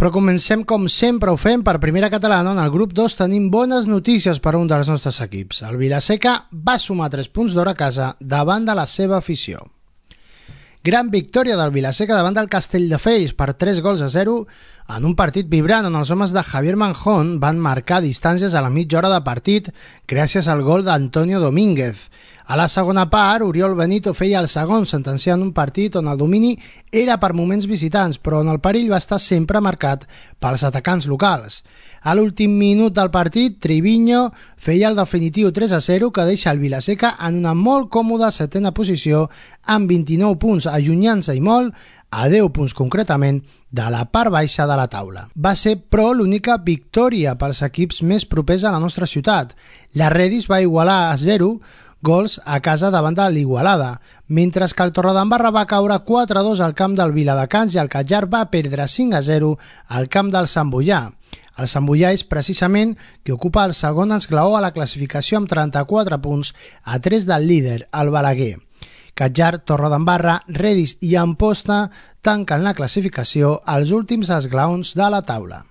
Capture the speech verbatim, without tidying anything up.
Però comencem com sempre ho fem per Primera Catalana, on al grup dos tenim bones notícies per a un dels nostres equips. El Vila-seca va sumar tres punts d'or a casa davant de la seva afició. Gran victòria del Vila-seca davant del Castelldefels per tres gols a zero en un partit vibrant on els homes de Javier Manjón van marcar distàncies a la mitja hora de partit gràcies al gol d'Antonio Domínguez. A la segona part, Oriol Benito feia el segon, sentenciant un partit on el domini era per moments visitants, però on el perill va estar sempre marcat pels atacants locals. A l'últim minut del partit, Triviño feia el definitiu tres a zero que deixa el Vila-seca en una molt còmoda setena posició amb vint-i-nou punts, allunyant-se i molt, a deu punts concretament, de la part baixa de la taula. Va ser, però, l'única victòria pels equips més propers a la nostra ciutat. La Redis va igualar a zero gols a casa davant de l'Igualada, mentre que el Torredembarra va caure quatre a dos al camp del Viladecans i el Catllà va perdre cinc a zero al camp del Sant Boià. El Sant Boià és precisament qui ocupa el segon esglaó a la classificació amb trenta-quatre punts a tres del líder, el Balaguer. Catllà, Torredembarra, Redis i Amposta tanquen la classificació als últims esglaons de la taula.